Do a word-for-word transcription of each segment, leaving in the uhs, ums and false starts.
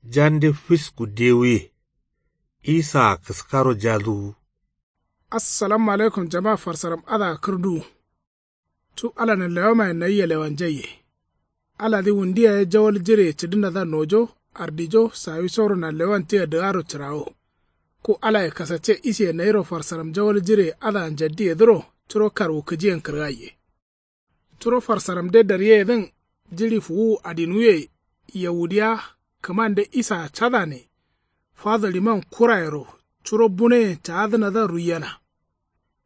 Jande fisku dewuye. Isaa kǝskaro jaduwu. Assalamu alaikum jama farsaram adǝa kǝrduwu. Cu alanǝ lewamaye nayia lewanjaiye. Aladǝ wundu yaye jawal jireye cǝdǝnadǝa nojo ardijo sawisoro nanlewan tia dǝgaro cǝrawo. Ku alaye kasacce isiye nayiro farsaram jawal jireye adǝa njaddiyedǝro curo karwukǝjiyen kǝrgaiye. Curo farsaramde daryeyedǝn jiɍi fuwuwu adinuwuye. Yawudiya kǝmande isaa cadane. Fadoliman kurayero curo bunoyen caadǝnadǝa ruiyena.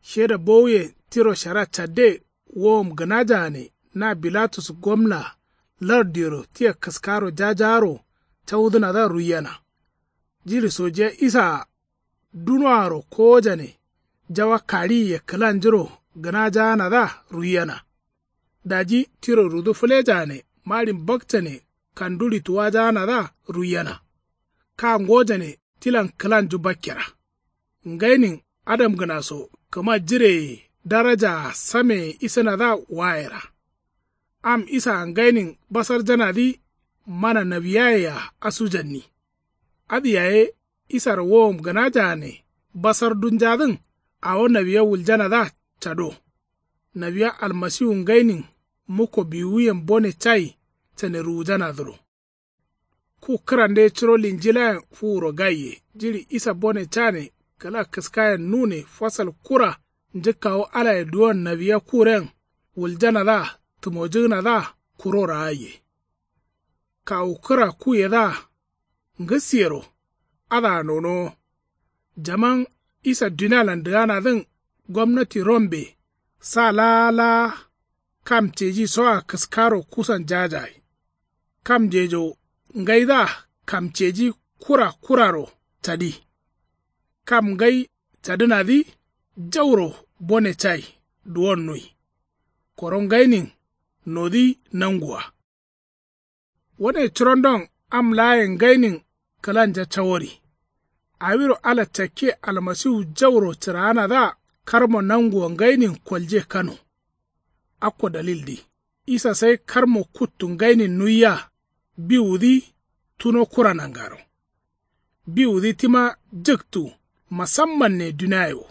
Sheda bowuyen tiro shara cadde wowom gǝnajaane na bilatus gomna larduyero tia kǝskaro jajaaro caudǝnadǝa ruiyena. Jiɍi sojiya isaa dunoaro kowojane jawa kaɍiye kǝlanjuro gǝnajaanadǝa ruiyena. Daji tiro rudu fǝlejaane maɍin bakcane kanduɍi tuwajaanadǝa ruiyena. Ka ngojane tilan kǝlanju bakkera. Ngainin adamgǝna so kǝma jireye darajaa sameye isǝnadǝa wayera. Am isaa ngainin basarjanadǝ mana nawiyayea asujanni. Adǝ yaye isaro wowom gǝnajaane basardunjadǝn awo nawiya wuljanadǝa cado. Nawiya almasiwu ngainin mukko biwuyen bone cai cane ruwujanadǝro. Ku kǝrande curo linjilayen fuwuro gaiye jiɍi isa bone cane kǝla kǝskayen nune fasal kura njǝkkawu alaye duwon nawiya kuren wuljanadǝa tǝmojǝgǝnadǝa kuro raaiye. Kawu kǝra kuyedǝa ngǝsiyero adǝa nonowo. Jaman isa dunialan dǝganadǝn gomnati rombe sa laa laa kam ceji soa kǝskaro kusan jajayi. Kamjejo ngaidǝa kamceji kura kuraro cadi. Kam ngai cadǝnadǝ jauro bone cai duwonnui. Koro ngainin nodǝ nangua. Wane curondon am laayen ngainin kǝlanja cawori. Awiro ala cakke almasiwu jauro cǝraanadǝa karmo nanguwa ngainin kolje kano. Akko dalildǝ isa sai karmo kuttu ngainin nuiya biwudǝ tuno kura nangaro. Biwudǝ tima jǝktu masammanne duniaye wo.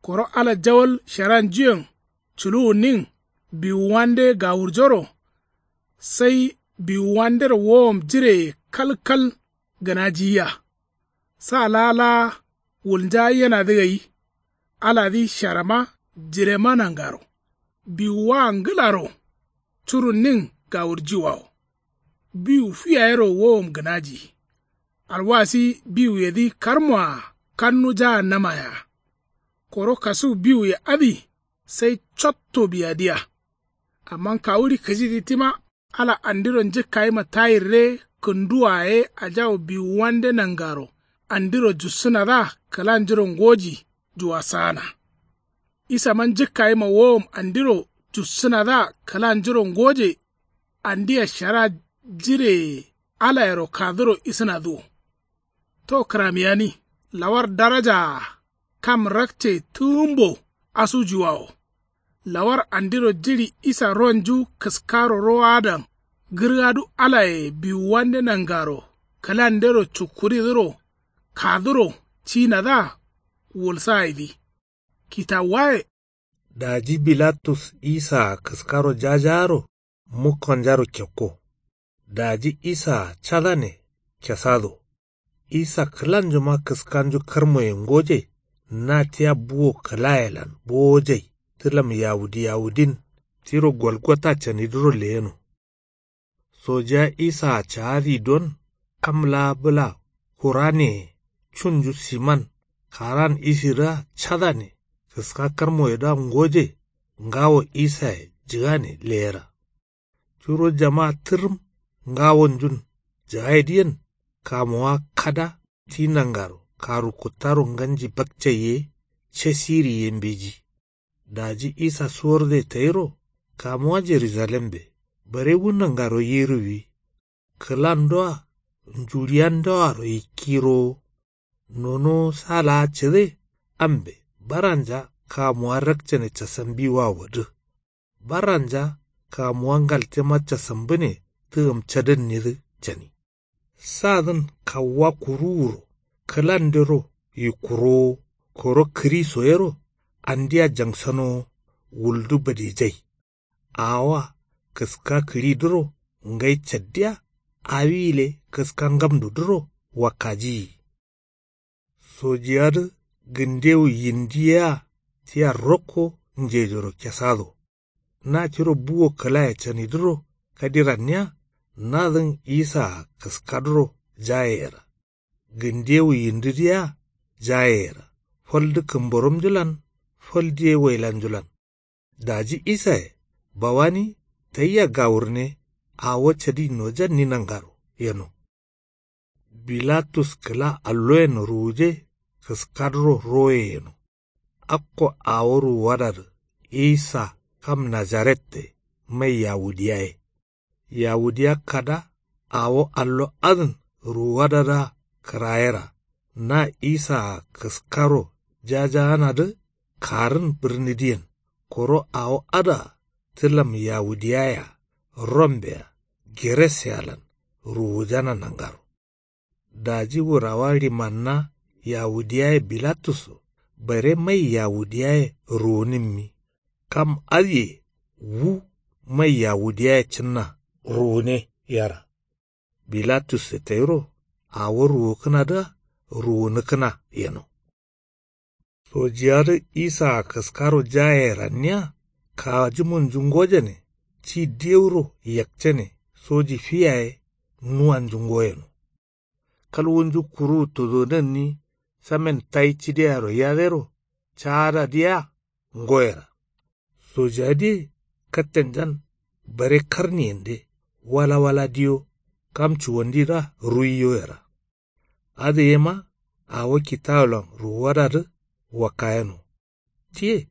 Koro ala jawal sharanjuyen culuwunnin biwuwande gawurjoro. Sai biwuwandero wowom jireye kalkal gǝnajiyiya. Sa laa laa wulnjayyenadǝ gai. Aladǝ sharama jirema nangaro. Biwuwaa ngǝlaro curunnin gawurjiwawo. Biwu fiyayero wowom gǝnaji. Alwasi biwuyedǝ karmoa kannujaa namayea. Koro kasuwu biwuye adǝ sai cotto biyadiya. Amma kawuɍi kǝjidǝ tima ala andiro njǝkkayima tayirre kǝnduwoa ye ajawu biwuwande nangaro andiro jussǝnadǝa kǝlanjuro ngoji juwasaana. Isama njǝkkayima wowom andiro jussǝnadǝa kǝlanjuro ngoje andia shara jireye alayero kaduro isǝnadǝ wo. To kǝramiyani lawar darajaa kam rakce tǝgǝmbo asujuwawo. Lawar andiro jiɍi isa ronju kǝskaro rowadan gǝrgadu alaye biwuwande nangaro kǝlandero cukkuridǝro kaduro cinadǝa wulsayedǝ. Kitawuwaye. Daji bilatus isaa kǝskaro jajaaro mukkonjaro kekko. Daji isaa cadane kesado. Isa kǝlanjuma kǝskanju karmoye ngoje. Na tia buwo kǝlayelan bowojai tǝlam yawudi yawudin tiro golgota canidǝro leyeno. Sojiya isaa caadi don kam laa bǝla kuraneye cunju siman karan isidǝa cadane kǝska karmoyedǝa ngoje. Ngawo isaye jǝgane leyera. Curo jama tǝrǝm ngawonjun jagaidǝyen kamuwa kada ti nangaro karu kuttaro nganji bakcai ye casiri ye mbeji. Daji isa suwarde tayiro kamuwa jerujalembe barewu nangaro yiruwi. Kǝlandoa njuɍiyandoaro ikkiro. Nonowo sa laa cǝde ambe baranja kamuwa rakcane casambiwa wodǝ. Baranja kamuwa ngaltema casambǝne tǝgǝm cadǝnnidǝ cani. Sadǝn kawuwa kuruwuro kǝlandero yikkurowo koro kǝriso yero andiya jangsanowo wuldu badijai. Awoa kǝska kǝɍidǝro ngai caddiya awi gǝle kǝska ngamdudǝro wakkajiyi. Sojiyadǝ gǝndewu yindi yea tia rokko njejoro kesado. Na tiro buwo kǝlaye canidǝro kadiranniya nadǝn isaa kǝskadǝro jayeyera. Gǝndewu yindidǝ yea jayeyera. Faldǝ kǝmboromnjulan faldǝ ye wailanjulan. Daji isaye bawani tayia gawurne awo cadi nojanni nangaro yeno. Bilatus kǝla alloyen ruwuje kǝskadǝro roye yeno. Akko awo ruwuwadadǝ isa kam nazarette mai yawudiyaye. Yawudiya kada awo allo adǝn ruwuwadadǝa kǝrayera. Na isaa kǝskaro jajaanadǝ karǝn bǝrnidǝyen koro awo adǝa tǝlam yawudiyayea rombeya gereseyalan ruwujana nangaro. Daji wurawa rimanna yawudiyaye bilatusso bare mai yawudiyaye ruwunǝmmi. Kam adǝye wu mai yawudiyaye cǝnna ruwune yera. Bilatusse tayiro awo ruwukǝnadǝa ruwunǝkǝna yeno. Sojiyadǝ isaa kǝskaro jayeyeranniya kajimunju ngojane ti dewuro yakcane soji fi yaye nuwanju ngoyeno. Kalwunju kuruwu tuduwunanni samen tayi cideyaro yadero caadadǝ yea ngoyera. Sojiyadǝye kattenjan bare karniyende wala wala diyo kam cuwandidǝa ruwiyo yera. Adǝ yema awo kitawulan ruwuwadadǝ wakkayeno. Tiye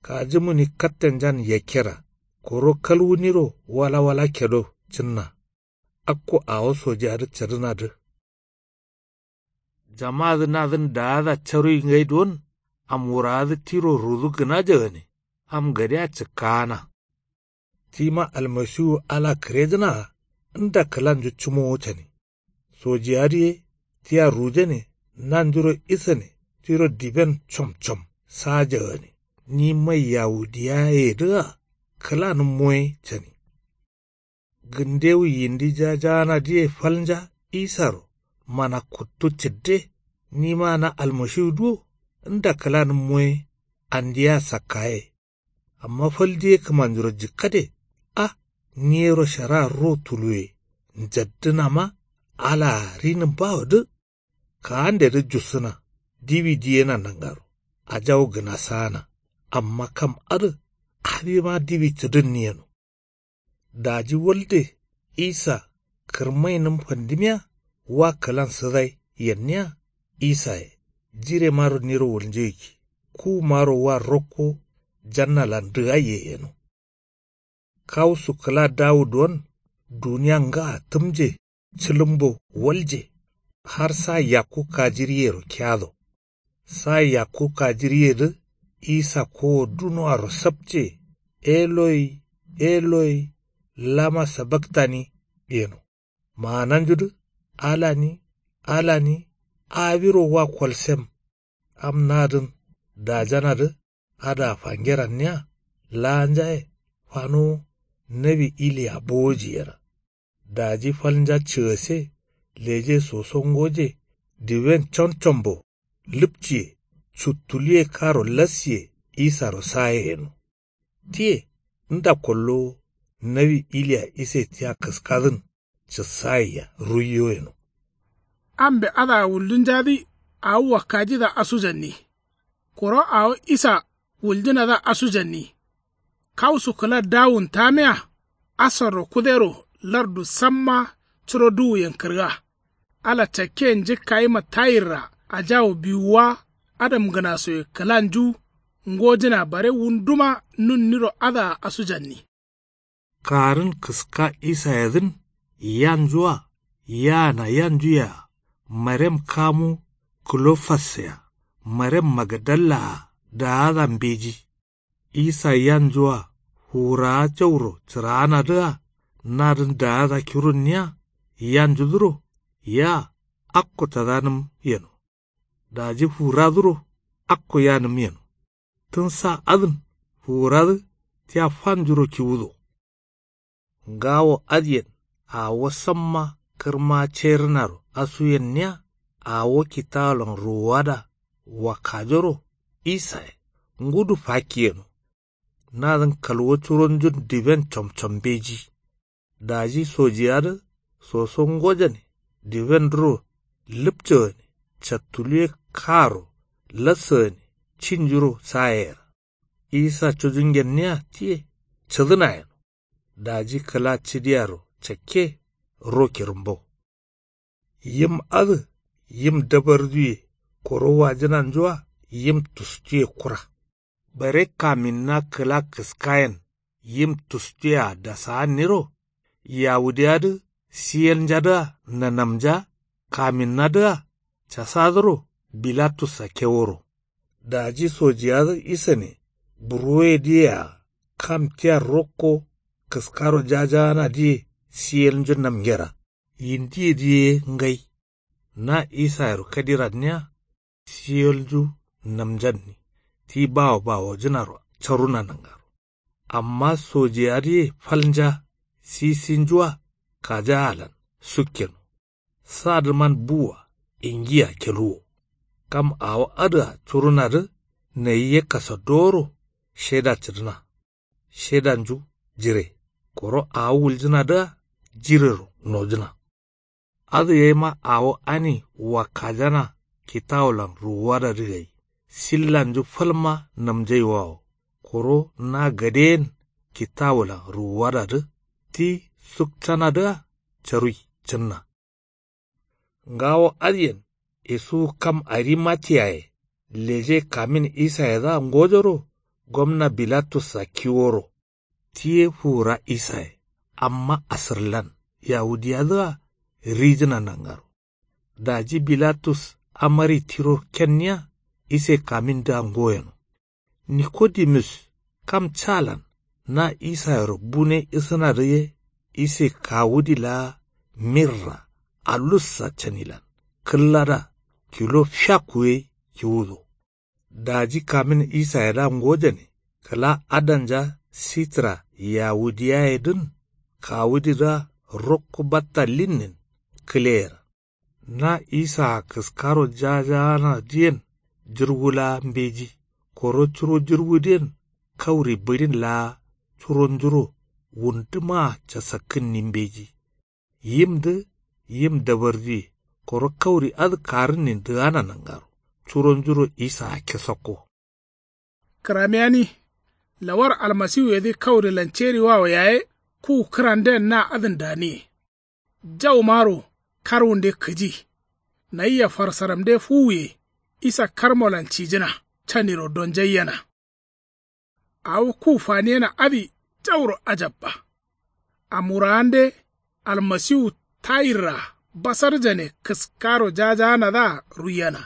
kajimuni kattenjan yakkera koro kalwuniro wala wala kedo cǝnna. Akko awo sojiyadǝ cadǝnadǝ. Jamadǝ nadǝn daada caruyi ngai duwon am wurawadǝ tiro rudu gǝnaja gane am gadea cǝkkaana. Tima almasiwu ala kǝrejǝnaa nda kǝlanju cǝmowo cani. Sojiyadǝ ye tia rujane nanjuro isane tiro diben comcom saja gane ni mai yawudiyayedǝa kǝlanǝmmo ye cani. Gǝndewu yindi jajaanadǝye falnja isaro mana kuttu cǝdde nima na almashiwudǝ wo nda kǝlanǝmmo ye andiyea sakkaye. Amma fal diye kǝmanjuro jikkade a niyero sharaa ro tuluwe njaddǝnama alaa rinǝm bawodǝ. Kaandedǝ jussǝna diwi diyena nangaro ajawu gǝnasaana. Amma kam adǝ adima diwi cǝdǝnni yeno. Daji walde isa kǝrmainǝm fandimiya wa kǝlan sǝdai yenniya isaye jiremaro niro wulnjeggi kuwumaro wa rokko jannalan dǝgaiye yeno. Kawusu kǝla dawu duwon duniya ngaa tǝmje cǝlǝmbo walje har sa yakku kajiriyero kiyado. Sa yakku kajiriyedǝ isa kowo dunoaro sapce eloi eloi lama sabaktani yeno. Maananjudǝ alani alani awiro wa kolsem. Am nadǝn dajanadǝ adǝa fangeranniya laanjaye fanowo nawi iliya bowoji yera. Daji falnja cǝgase leje soso ngoje diwen comcombo lǝpciye cuttuluye karo lassiye isaro saye yeno. Tiye nda kollowo nawi iliya ise tia kǝskadǝn cǝssayea ruiyo yeno. Ambe adǝa wuldunjadǝ awo wakkajidǝa asujanni. Koro awo isa wuljǝnadǝa asujanni. Kawusu kǝla dawun tamiya asarro kudero lardu samma curo duwuyen kǝrga. Ala cakke njǝkkayima tayirra ajawu biwuwa adamgǝnasoye kǝlanju ngojǝna bare wunduma nunniro adǝa asujanni. Karǝn kǝska isayedǝn yanjua yaana yanjuyea marem kamu kǝlofassea marem magadallaa daada mbeji. Isa yanjua fuwurawa jauro cǝraanadǝa nadǝn daada kirunniya yanjudǝro Yaa akko cadanǝm yeno. Daji fuwuradǝro akko yanǝm yeno. Tǝn sa adǝn fuwuradǝ tia fanjuro kiwudo. Ngawo adǝyen awo samma kǝrma cerǝnaro asuyenniya. Awo kitawolan ruwuwada wakkajoro isaye ngudu fakki yeno. Nadǝn kalwo curonjun diben comcom mbeji. Daji sojiyadǝ soso ngojane dibendǝro lǝpcagane cattuluwe kaaro lassagane cinjuro sayeyera. Isa cujungenniya tiye cǝdǝna yeno. Daji kǝla cǝdiyaro cakke ro kirǝmbo. Yim adǝ yim dabarduye koro wajǝnanjua yim tustuye kura. Bare kaminna kǝla kǝskayen yim tustuyea dasaganniro. Yawudiyadǝ siyeljadǝa nanamja kaminnadǝa casadǝro bilatussa keworo. Daji sojiyadǝ isane burwoyedǝyea kam tia rokko kǝskaro jajaanadǝye siyelnju namgera yindiyedǝ ye ngai. Na isayero kadiranniya siyelnju namjanni ti bawo bawojǝnaro caruna nangaro. Amma sojiyadǝye falnja sisinjua kajaalan sukkeno. Sadǝman buwa ingiya keluwo. Kam awo adǝa curunadǝ nayi ye kasadoworo sheda cǝdǝna. Shedanju jire koro awo wuljǝnadǝa jirero nojǝna. Adǝ yaima awo ani wakkajana kitawolan ruwuwadadǝ gai sillanju falma namjaiwawo. Koro na gadeyen kitawolan ruwuwadadǝ ti sukcanadǝa carui cǝnna. Ngawo adǝyen isuwu kam arimatiyaye leje kamin isayedǝa ngojoro gomna bilatussa kiworo. Ti ye fuwura isaye amma asǝrlan yawudiyadǝa rijǝna nangaro. Daji bilatus amari tiro kenniya ise kamindǝa ngoyeno. Nikodimus kam calan na isayero bune isǝnadǝ ye ise kawudi laa mirra alussa canilan kǝllada kilo fiakku ye kiwudo. Daji kamin isayedǝa ngojane kǝla adanja sitra yawudiyayedǝn kawudidǝa rokko batta linnin kǝleyera. Na isaa kǝskaro jajaanadǝyen jǝrwu laa mbeji. Koro curo jǝrwudǝyen kauri bǝɍin laa curonjuro wundǝmaa casakkǝnni mbeji. Yimdǝ yim dabarduye koro kauri adǝ karǝnnin dǝgana nangaro curonjuro isaa kesakko. Kǝramiyani lawar almasiwuyedǝ kaurilan ceriwawo yaye kuwu kǝranden na adǝn daniye. Jaumaro karwunde kǝji. Nayia farsaramde fuwuye isa karmolan cijǝna caniro donjaiyena. Awo ku faniyena adǝ jauro ajabba. Amwuraande almasiwu tayirra basarjane kǝskaro jajaanadǝa ruiyena.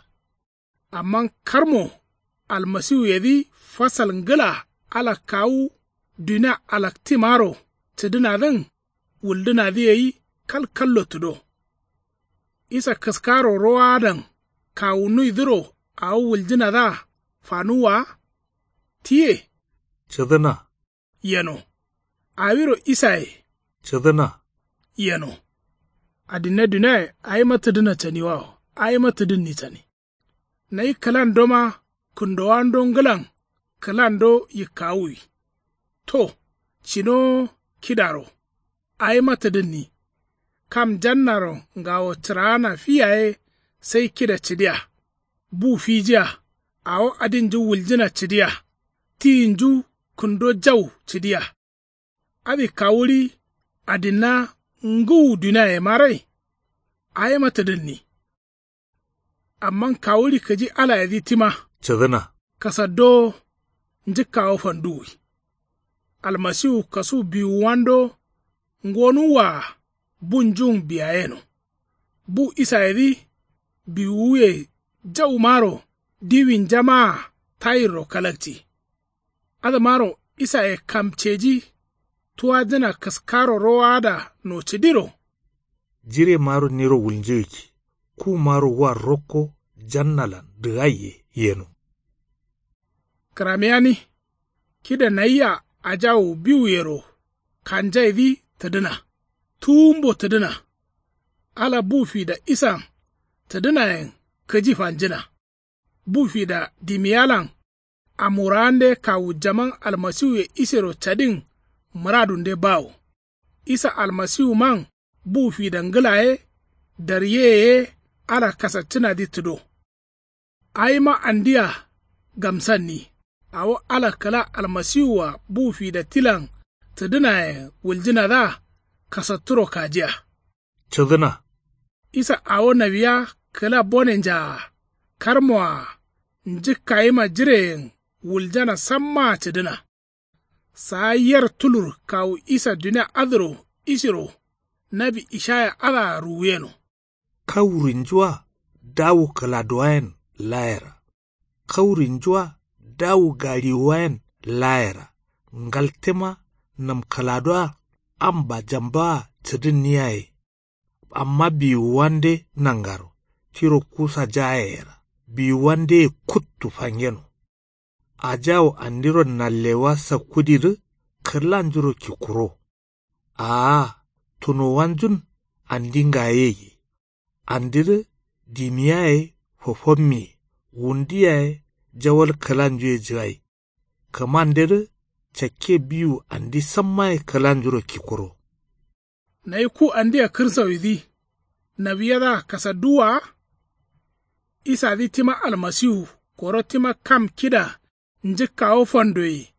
Amma karmo almasiwuyedǝ fasal ngǝla ala kawu dunia alaktimaro cǝdǝnadǝn wuldǝnadǝ gai kalkallo tǝdo. Isa kǝskaro rowadan kawunuidǝro awo wuljǝnadǝa fanuwwa wa. Tiye cǝdǝna yeno. Awiro isaye cǝdǝna yeno. Adinne duniaye awima tǝdǝna caniwawo awima tǝdǝnni cani. Nayi kǝlandoma kǝndowando ngǝlan kǝlando yikkawuwi. To cinowo kidaro awima tǝdǝnni. Kam jannaro ngawo cǝraana fi yaye sai kida cǝdiya. Bu fijiya awo adinju wuljǝna cǝdiya. Tiyinju kǝndo jau cǝdiya. Adǝ kawuɍi adinna ngǝwu duniayema rai. Awima tǝdǝnni. Amma kawuɍi kǝji alayedǝ tima cǝdǝna. Kasaddowo njǝkkawo fanduwwi. Almasiwu kasu biwuwando ngonuwwaa bunjun biyayeno. Bu isayedǝ biwuwuye jaumaro diwinjamaa tayirro kalakci. Adǝmaro isaye kamceji tuwajǝna kǝskaro rowaada nocǝdiro. Jiremaro niro wulnjǝgǝkki. Kumaro wa rokko jannalan dǝgaiye yeno. Kǝramiyani. Kida nayia ajawu biwuyero kanjaidǝ tǝdǝna. Tuwumbo tǝdǝna. Ala bu fida isan tǝdǝnayen kǝji fanjǝna. Bu fida dimiyalan amwurawande kawu jaman almasiwuye isero cadin mǝradunde bawo. Isa almasiwuman bu fida ngǝla ye daryeye ye ala kasaccǝnadǝ tǝdo. Awima andia gamsanni. Awo ala kǝla almasiwua bu fida tilan tǝdǝnayen wuljǝnadǝa kasatturo kajiya. Cǝdǝna. Isa awo nawiya kǝla bonenjaa karmoa njǝkkayima jireyen wuljana sammaa cǝdǝna. Saa yer tulur kawu isa dunia adǝro isiro nawi ishaya adǝa ruwuyeno. Kaurinjua dawu kǝladuwayen layera. Kaurinjua dawu gariwuwayen layera. Ngaltema nam kǝladuwa am bajambawa cǝdǝnniyaye. Amma biwuwande nangaro tiro kusa jayeyera biwuwandeye kuttu fangeno. Ajawu andiro nallewa sakkudidǝ kǝrlanjuro kikkuro. Aa tunowanjun andi ngayeyi. Andidǝ dimi yaye fofommi ye wundi yaye jawal kǝlanju ye jǝgai. Kǝmandedǝ cakke biwu andi samma ye kǝlanjuro kikkuro. Nayi ku andia kǝrsawidǝ nawiyadǝa kasadduwwa wa? Isadǝ tima almasiwu koro tima kam kida njǝkkawo fandoye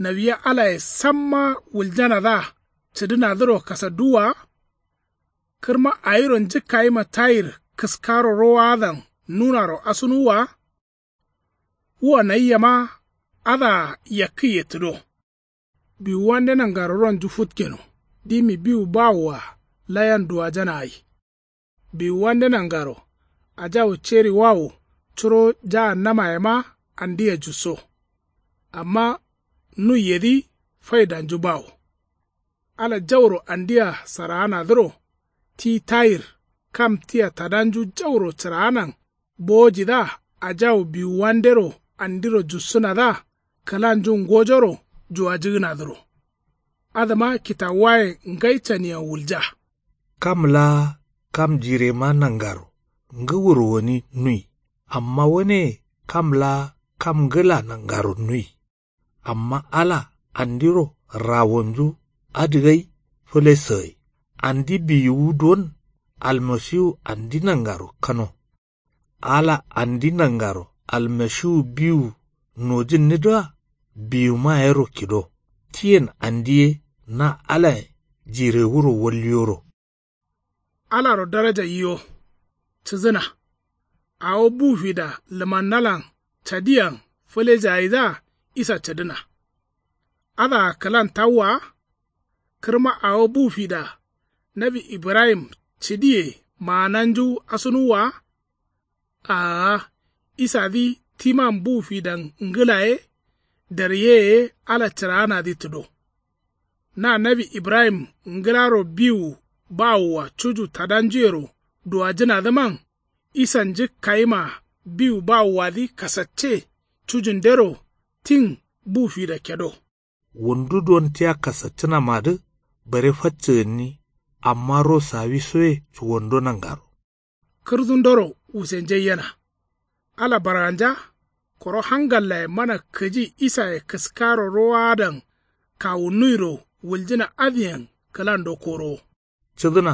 nawiya alaye samma wuljanadǝa cǝdǝnadǝro kasadduwwa wa? Kǝrma awiro njǝkkayima tayir kǝskaro rowadan nunaro asunuwwa wa? Wua naiyema adǝa yakkǝye tǝdo. Biwuwande nangaro ronju futkeno dimi biwu bawoa layan duwajana gai. Biwuwande nangaro ajawu ceri wawo curo jaannamayema andia jusso. Amma nuiyedǝ faidanju bawo. Ala jauro andia saraanadǝro ti tayir kam tia tadanju jauro cǝraanan bowojidǝa ajawu biwuwandero andiro jussǝnadǝa kǝlanju ngojoro juwajǝgǝnadǝro. Adǝma kitawuwayen ngai caniyen wulja. Kam laa kam jirema nangaro ngǝ wuro gǝni nui. Amma waneye kam laa kam ngǝla nangaro nui. Amma ala andiro rawonju adǝgai fǝlesǝgai. Andi biwuwu don almasiwu andi nangaro kano. Ala andi nangaro almasiwu biwu nojǝnnidǝa biwuma yero kido. Tiyen andi ye na alayen jirewuro walliyoro. Alaro daraja yiwo cǝzǝna. Awo bu fida lǝmannalan cadiyan fǝlejayidǝa isa cǝdǝna. Adǝa kǝlan tawwa wa? Kǝrma awo bu fida nawi ibrahim cǝdiye maananju asunuwwa wa? Aa isadǝ timan bu fidan ngǝla ye daryeye ye ala cǝraanadǝ tǝdo. Na nawi ibrahim ngǝlaro biwu bawoa cuju tadanjuyero duwajǝnadǝman isa njǝkkayima biwu bawoadǝ kasacce cujundero tin bu fida kedo. Wundu don tia kasaccǝnamadǝ bare faccǝgǝnni. Amma ro sawisoye cuwando nangaro. Kǝrdundoro wusenjai yena. Ala barganja koro hangallaye mana kǝji isaye kǝskaro rowaadan kawunnuiro wuljǝna adǝyen kǝlando korowo. Cǝdǝna